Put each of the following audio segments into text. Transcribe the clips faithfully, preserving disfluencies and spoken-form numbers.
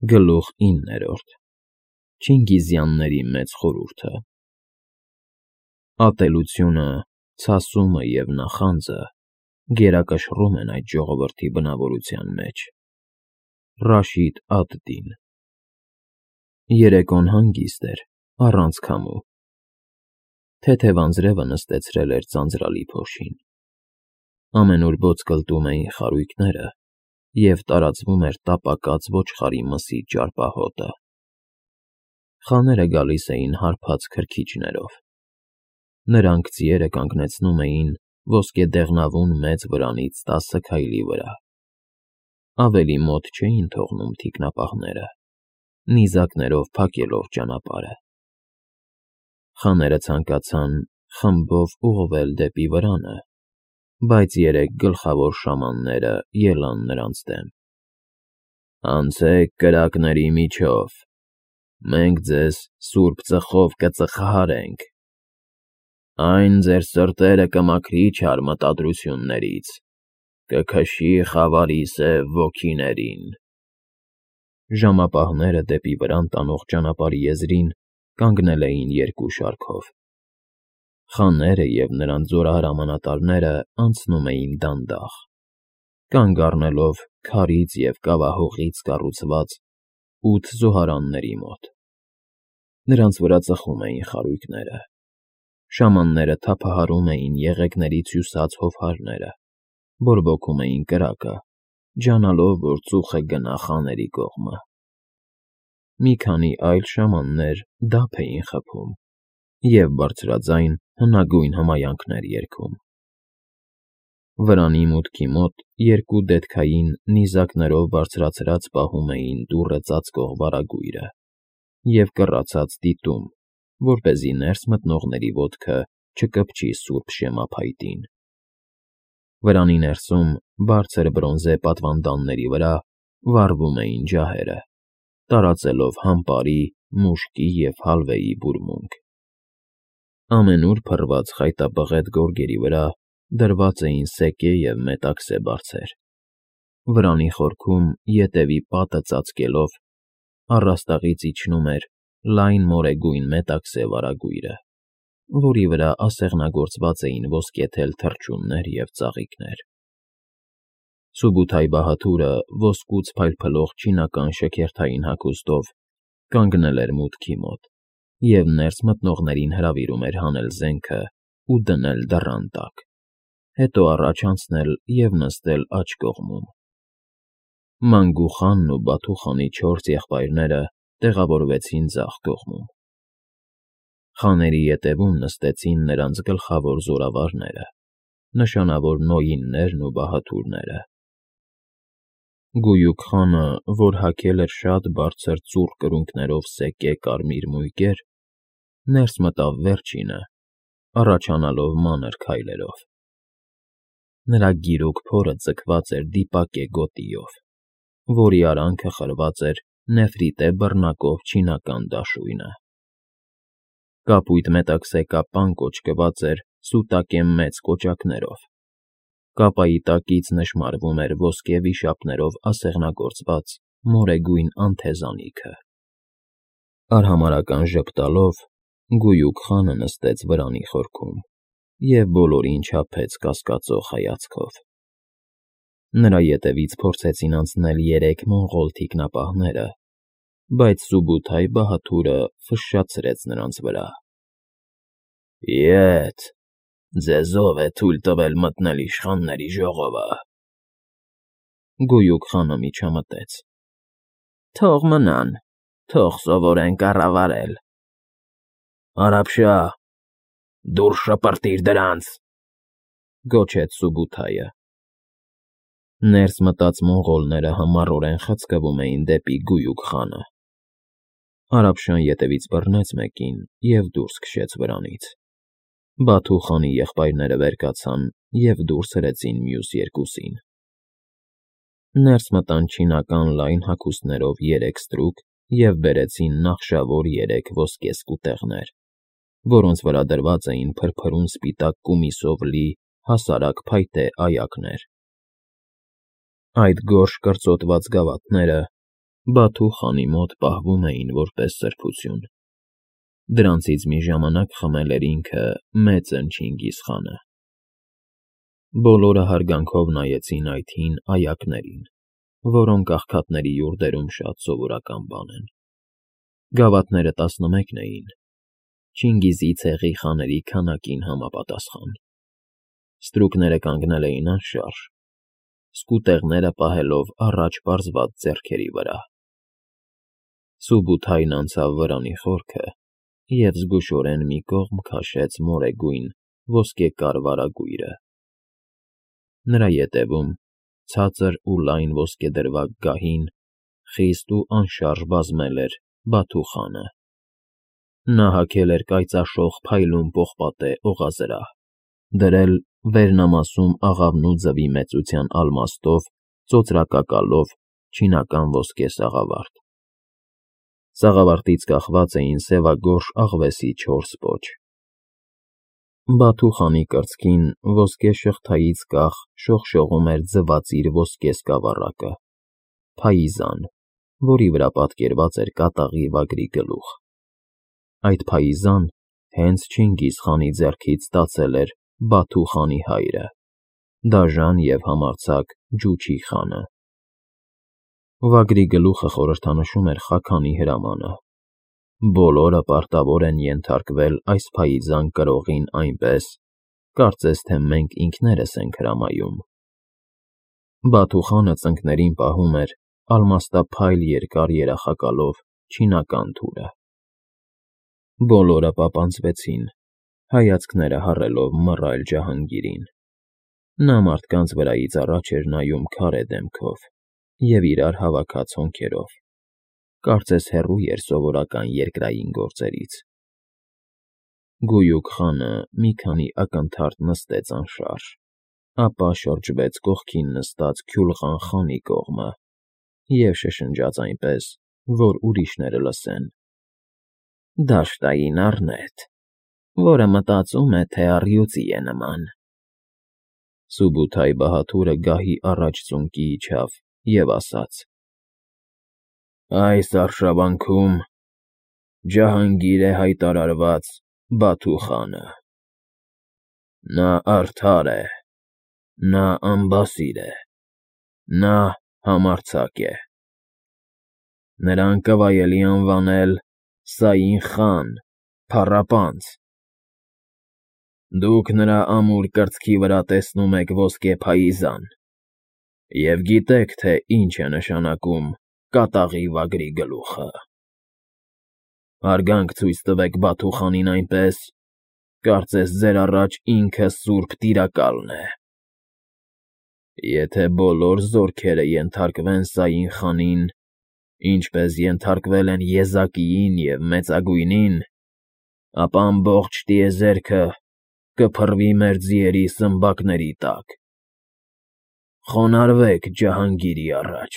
Գլուխ իններորդ Չինգիզյանների մեծ խորհուրդը Ատելությունը, ցասումը և նախանձը գերակշռում են այդ ժողովրդի բնավորության մեջ։ Ռաշիդ ալ-Դին Երեկոն հանգիստ էր, առանց քամու։ Թեթև անձրևը նստեցրել էր ձանձրալի փոշին։ Ամենուր բոծկլտում էին խարույկները, և տարածվում էր տապակած ոչխարի մսի ճարպահոտը։ Խաները գալիս էին հարբած քրքիջներով։ Նրանք ձիերը կանգնեցնում էին ոսկեդեղնավուն մեծ վրանից տասը քայլի վրա։ Ավելի մոտ չէին թողնում թիկնապահները, նիզակներով փակելով ճանապարհը։ Խաները ցանկացան խմբով ուղղվել դեպի վրանը, բայց երեք գլխավոր շամանները ելան նրանց դեմ։ «Անցեք կրակների միջով, մենք ձեզ սուրբ ծխով կծխահարենք, այն ձեր սրտերը կմաքրի չար մտադրություններից, կքշի խավարի սև ոգիներին»։ Ժամապահները դեպի վրան տանող ճանապարհի եզրին կանգնել էին երկու շարքով։ Խաները և նրանց զորահրամանատարները անցնում էին դանդաղ, կանգ առնելով քարից և կավահողից կառուցված ութ զոհարանների մոտ։ Նրանց վրա ծխում էին խարույկները։ Շամանները թափահարում էին եղեգներից հյուսած հովհարները, բորբոքում էին կրակը, ջանալով, որ ծուխը գնա խաների կողմը։ Մի քանի այլ շամաններ դափ էին խփում և բարձրաձայն հնագույն հմայանքներ երգում։ Վրանի մուտքի մոտ երկու դետքային նիզակներով բարձրացրած պահում էին դուռը ծածկող վարագույրը և կռացած դիտում, որպեսզի ներս մտնողների ոտքը չկպչի սուրբ շեմափայտին։ Վրանի ներսում, բարձր բրոնզե պատվանդանների վրա վառվում էին ջահերը, տարածելով համբարի, մուշկի և հալվեի բուրմունք։ Ամենուր փռված խայտաբղետ գորգերի վրա դրված էին սեկե և մետաքսե բարձեր։ Վրանի խորքում, ետևի պատը ծածկելով, առաստաղից իջնում էր լայն մորեգույն մետաքսե վարագույրը, որի վրա ասեղնագործված էին ոսկեթել թռչուններ և ծաղիկներ։ Սուբութայ-Բահադուրը ոսկուց փայլփլող չինական շքերթային հագուստով կանգնել էր մուտքի մոտ և ներս մտնողներին հրավիրում էր հանել զենքն ու դնել դռան տակ, հետո առաջ անցնել և նստել աջ կողմում։ Մանգու խանն ու Բաթու խանի չորս եղբայրները տեղավորվեցին ձախ կողմում։ Խաների ետևում նստեցին նրանց գլխավոր զորավարները, նշանավոր նոյիններն ու բահադուրները։ Գույուք խանը, որ հագել էր շատ բարձր ծուռ կրունկներով սեկե կարմիր մույկեր, ներս մտավ վերջինը, առաջանալով մանր քայլերով։ Նրա գիրուկ փորը ձգված էր դիպակե գոտիով, որի արանքը խրված էր նեֆրիտե բռնակով չինական դաշույնը։ Կապույտ մետաքսե կապան կոճկված էր սուտակե մեծ կոճակներով։ Կապայի տակից նշմարվում էր ոսկե վիշապներով ասեղնագործված մորեգույն անթեզանիքը։ Արհամարհական ժպտալով գույուկ խանը նստեց վրանի խորքում և բոլորին չափեց կասկածող հայացքով։ Նրա ետևից փորձեցին անցնել երեք մոնղոլ թիկնապահները, բայց Սուբութայ-Բահադուրը ֆշշացրեց նրանց վրա։ «Ետ, ձեզ ո՞վ է թույլ տվել մտնել իշխանների ժողովը»։ Գույուկ խանը միջամտեց։ «Թող մնան, թող սովորեն կառավարել»։ «Արա֊փշա, դուրս շպրտիր դրանց», գոչեց Սուբութայը։ Ներս մտած մոնղոլները համառորեն խցկվում էին դեպի գույուկ խանը։ Արա֊Փշան ետևից բռնեց մեկին և դուրս քշեց վրանից։ Բաթու խանի եղբայրները վեր կացան և դուրս հրեցին մյուս երկուսին։ Ներս մտան չինական լայն հագուստներով երեք ստրուկ և բերեցին նախշավոր երեք ոսկե սկուտեղներ, որոնց վրա դրված էին փրփրուն սպիտակ կումիսով լի հասարակ փայտե այակներ։ Այդ գորշ կրծոտված գավաթները Բաթու խանի մոտ պահվում էին որպես սրբություն։ Դրանցից մի ժամանակ խմել էր ինքը մեծն Չինգիզ խանը։ Բոլորը հարգանքով նայեցին այդ հին այակներին, որոնք աղքատների յուրդերում շատ սովորական բան են։ Գավաթները տասնմեկն էին, Չինգիզի ցեղի խաների քանակին համապատասխան։ Ստրուկները կանգնել էին անշարժ, սկուտեղները պահելով առաջ պարզված ձեռքերի վրա։ Սուբութայն անցավ վրանի խորքը և զգուշորեն մի կողմ քաշեց մորեգույն ոսկեկար վարագույրը։ Նրա ետևում, ցածր ու լայն ոսկեդրվագ գահին, խիստ ու անշարժ բազմել էր Բաթու խանը։ Նա հագել էր կայծաշող փայլուն պողպատե օղազրահ, դրել վերնամասում աղավնու ձվի մեծության ալմաստով ծոծրակակալով չինական ոսկե սաղավարտ։ Սաղավարտից կախված էին սևագորշ աղվեսի չորս պոչ։ Բաթու խանի կրծքին ոսկե շղթայից կախ շողշողում էր ձվածիր ոսկե սկավառակը՝ փայիզան, որի վրա պատկերված էր կատաղի վագրի գլուխ։ Այդ փայիզան հենց Չինգիզ խանի ձեռքից ստացել էր Բաթու խանի հայրը՝ դաժան և համարձակ Ջուչի խանը։ Վագրի գլուխը խորհրդանշում էր Խաքանի հրամանը։ Բոլորը պարտավոր են ենթարկվել այս փայիզան կրողին այնպես, կարծես թե մենք ինքներս ենք հրամայում։ Բաթու խանը ծնկներին պահում էր ալմաստափայլ երկար երախակալով չինական թուրը։ Բոլորը պապանձվեցին, հայացքները հառելով մռայլ Ջահանգիրին։ Նա մարդկանց վրայից առաջ էր նայում քարե դեմքով և իրար հավաքած հոնքերով, կարծես հեռու էր սովորական երկրային գործերից։ Գույուկ խանը մի քանի ակնթարթ նստեց անշարժ, ապա շրջվեց կողքին նստած Քյուլղան խանի կողմը և շշնջաց այնպես, որ ուրիշները լսեն. «Դաշտային առնետ, որը մտածում է, թե առյուծի է նման»։ Սուբութայ բահադուրը գահի առաջ ծունկի իջավ և ասաց. «Այս արշավանքում Ջահանգիր է հայտարարված Բաթու խանը։ Նա արդար է, նա անբասիր է, նա համարձակ է։ Նրան կվայելի անվանել Սային խան, փառապանծ։ Դուք նրա ամուր կրծքի վրա տեսնում եք ոսկե փայիզան և գիտեք, թե ինչ է նշանակում կատաղի վագրի գլուխը։ Հարգանք ցույց տվեք Բաթու խանին այնպես, կարծես ձեր առաջ ինքը սուրբ տիրակալն է։ Եթե բոլոր զորքերը ենթարկվեն Սային խանին, ինչպես ենթարկվել են Եզակիին և Մեծագույնին, ապա ամբողջ տիեզերքը կփռվի մեր ձիերի սմբակների տակ։ Խոնարհվեք Ջահանգիրի առաջ»։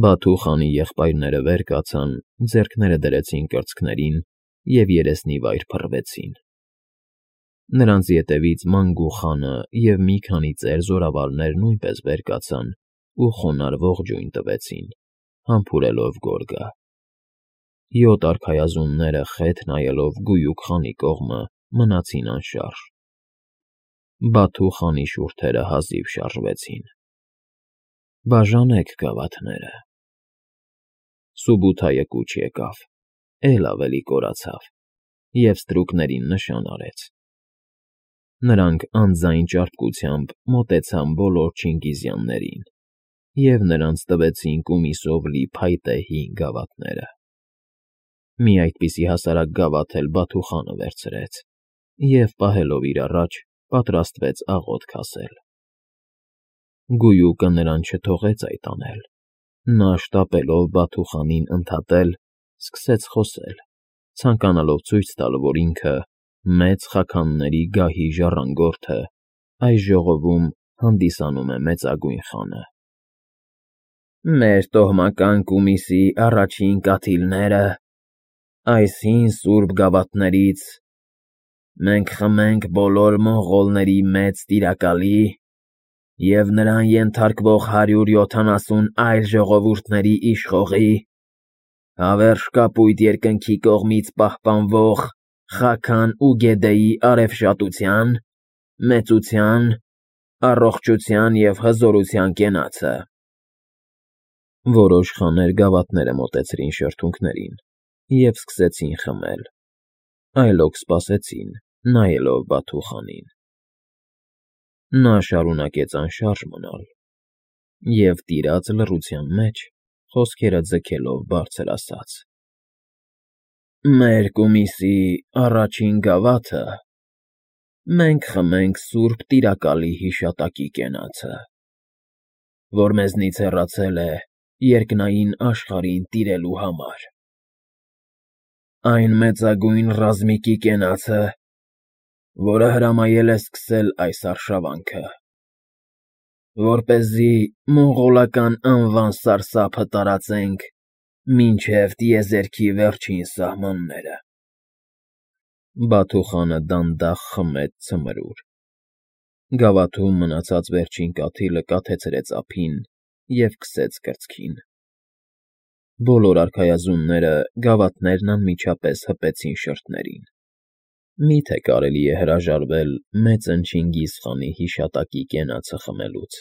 Բաթու խանի եղբայրները վեր կացան, ձեռքները դրեցին կրծքներին և երեսնիվայր փռվեցին։ Նրանց ետևից Մանգու խանը և մի քանի ծեր զորավարներ նույնպես վեր կացան ու խոնարհվող ջույն տվեցին, համբուրելով գորգը։ Յոթ արքայազունները խեթ նայելով գույուկ խանի կողմը մնացին անշարժ։ Բաթու խանի շուրթերը հազիվ շարժվեցին։ «Բաժանեք գավաթները»։ Սուբութայը կուչ եկավ, էլ ավելի կորացավ և ստրուկներին նշան արեց։ Նրանք անձայն ճարպկությամբ մոտեցան բոլոր չինգիզյաններին և նրանց տվեցին կումիսով լի փայտե հին գավաթները։ Մի այդպիսի հասարակ գավաթ էլ Բաթու խանը վերցրեց և, պահելով իր առաջ, պատրաստվեց աղոթք ասել։ Գույուկը նրան չթողեց այդ անել։ Նա, շտապելով Բաթու խանին ընդհատել, սկսեց խոսել, ցանկանալով ցույց տալ, որ ինքը, մեծ Խաքանների գահի ժառանգորդը, այս ժողովում հանդիսանում է Մեծագույն խանը։ «Մեր տոհմական կումիսի առաջին կաթիլները, այս հին սուրբ գավաթներից, մենք խմենք բոլոր մոնղոլների մեծ տիրակալի և նրան ենթարկվող հարյուր յոթանասուն այլ ժողովուրդների իշխողի, հավերժ կապույտ երկնքի կողմից պահպանվող Խաքան ու Գեդեի արևշատության, մեծության, առողջության և հզորության կենացը։ Որոշ խաներ գավաթները մոտեցրին շրթունքներին և սկսեցին խմել, այլոք սպասեցին, նայելով Բաթուխանին։ Նա շարունակեց անշարժ մնալ և, տիրած լռության մեջ, խոսքերը ձգելով բարձր ասաց. «Մեր կումիսի առաջին գավաթը մենք խմենք սուրբ Տիրակալի հիշատակի կենացը, որ մեզնից հեռացել է երկնային աշխարհին տիրելու համար, այն մեծագույն ռազմիկի կենացը, որը հրամայել է սկսել այս արշավանքը, որպեսզի մոնղոլական անվան սարսափը տարածենք մինչև տիեզերքի վերջին սահմանները»։ Բաթուխանը դանդաղ խմեց ցմրուր։ Գավաթում մնացած վերջին կաթիլը կաթեցրեց ափին և քսեց կրծքին։ Բոլոր արքայազունները գավաթներն անմիջապես հպեցին շրթներին։ Մի՞թե կարելի է հրաժարվել մեծն Չինգիզխանի հիշատակի կենացը խմելուց։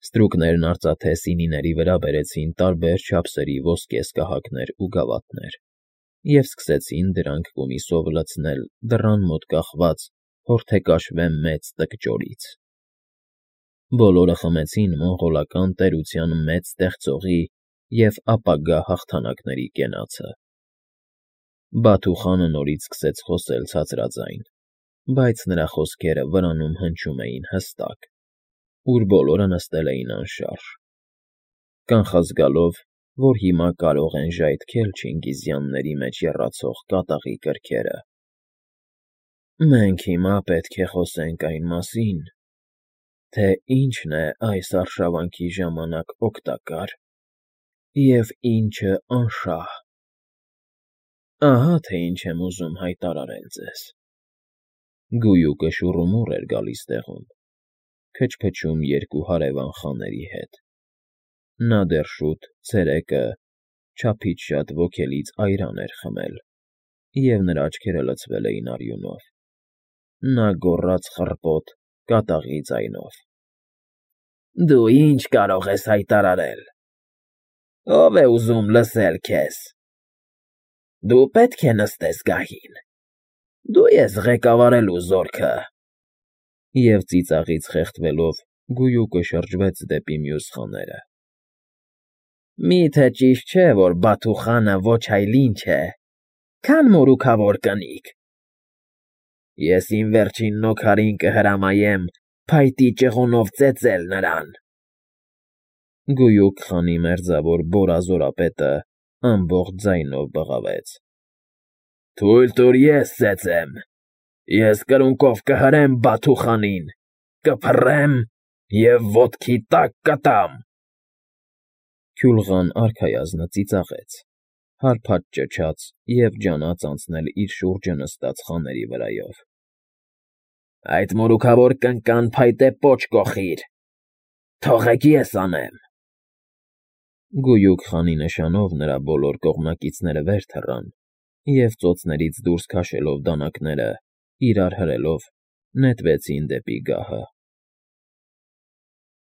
Ստրուկներն արծաթե սինիների վրա բերեցին տարբեր չափսերի ոսկե սկահակներ ու գավաթներ և սկսեցին դրանք կումիսով լցնել դռան մոտ կախված հորթեկաշվե մեծ տկճորից։ Բոլորը խմեցին մոնղոլական տերության մեծ ստեղծողի և ապագա հաղթանակների կենացը։ Բաթուխանը նորից սկսեց խոսել ցածրաձայն, բայց նրա խոսքերը վրանում հնչում էին հստակ, ուր բոլորը նստել էին անշարժ, կանխազգալով, որ հիմա կարող են ժայթքել չինգիզյանների մեջ եռացող կատաղի կրքերը։ «Մենք հիմա պետք է խոսենք այն մասին, թե ինչն է այս արշավանքի ժամանակ օգտակար և ինչը անշահ։ Ահա թե ինչ եմ ուզում հայտարարել ձեզ»։ Գույուկը շուռումուռ էր գալիս տեղում, քչփչում երկու հարևան խաների հետ։ Նա դեռ շուտ, ցերեկը, չափից շատ ոգելից այրան էր խմել, և նրա աչքերը լցվել էին արյունով։ Նա գոռաց խռպոտ, կատաղի ձայնով. «Դու ի՞նչ կարող ես հայտարարել։ Ո՞վ է ուզում լսել քեզ։ Դու պետք է նստես գահին։ Դու ես ղեկավարելու զորքը»։ Եվ ծիծաղից խեղդվելով գույուկը շրջվեց դեպի մյուս խաները։ «Մի՞թե ճիշտ չէ, որ Բաթուխանը ոչ այլ ինչ է, քան մորուքավոր կնիկ։ Ես իմ վերջին նոքարին կհրամայեմ փայտի ճղունով ծեծել նրան»։ Գույուկ խանի մերձավոր բորազորապետը ամբողջ ձայնով բղավեց. «Թույլ տուր ես ծեծեմ։ Ես կրունկով կհրեմ Բաթուխանին, կփռեմ և ոտքի տակ կտամ»։ Քյուլղան արքայազնը ծիծաղեց, հարբած ճչաց և ջանաց անցնել իր շուրջը նստած խաների վրայով։ «Այդ մորուքավոր կնկան փայտե պոչ կոխիր։ Թողեք ես անեմ»։ Գույուկ խանի նշանով նրա բոլոր կողմնակիցները վեր թռան և, ծոցներից դուրս քաշելով դանակները, իրար հրելով, նետվեցին դեպի գահը։